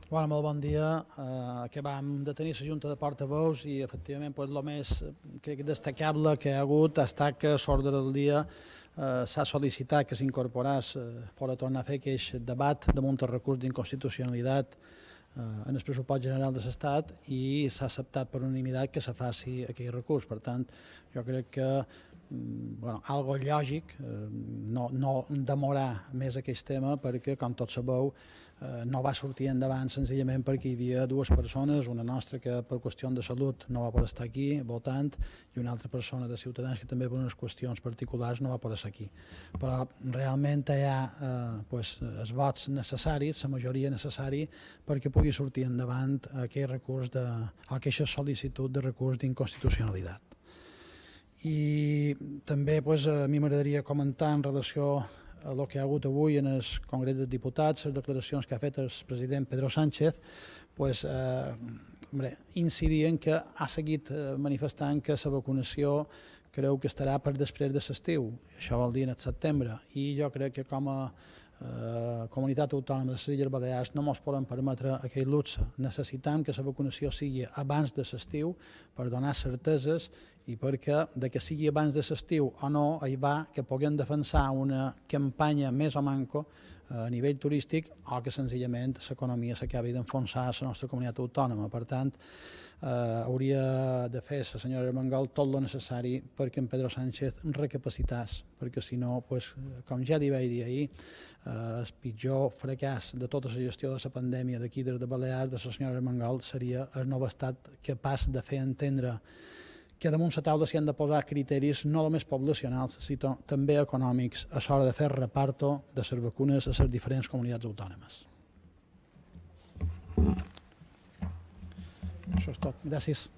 Bueno, molt bon dia. Acabam de tenir la Junta de Portaveus i, efectivament, el més destacable que hi ha hagut ha estat que a l'ordre del dia s'ha sol·licitat que s'incorporés per a tornar a fer aquest debat damunt el recurs d'inconstitucionalitat en el pressupost general de l'Estat i s'ha acceptat per unanimitat que se faci aquell recurs. Per tant, jo crec que algo lògic, no demorar més aquest tema perquè, com tots sabeu, no va sortir endavant senzillament perquè hi havia dues persones, una nostra que per qüestions de salut no va poder estar aquí votant i una altra persona de Ciutadans que també per unes qüestions particulars no va poder estar aquí. Però realment hi ha els vots necessaris, la majoria necessari perquè pugui sortir endavant aquest recurs aquesta sol·licitud de recurs d'inconstitucionalitat. I també a mi m'agradaria comentar en relació a el que hi ha hagut avui en el Congrés dels Diputats, les declaracions que ha fet el president Pedro Sánchez, incidir en que ha seguit manifestant que la vacunació creu que estarà per després de l'estiu, això vol dir en el setembre, i jo crec que com a comunitat autònoma de les Illes Balears no ens podem permetre aquell luxe. Necessitem que la vacunació sigui abans de l'estiu per donar certeses i perquè de que sigui abans de l'estiu o no hi va que puguem defensar una campanya més o manco a nivell turístic o que senzillament l'economia s'acabi d'enfonsar a la nostra comunitat autònoma. Per tant, hauria de fer la senyora Armengol tot el necessari perquè en Pedro Sánchez recapacitàs, perquè si no, com ja li vaig dir ahir, el pitjor fracàs de tota la gestió de la pandèmia d'aquí des de Balears de la senyora Armengol seria el nou estat capaç de fer entendre que damunt la taula s'hi han de posar criteris no només poblacionals, sinó també econòmics a l'hora de fer reparto de les vacunes a les diferents comunitats autònomes. Això és tot. Gràcies.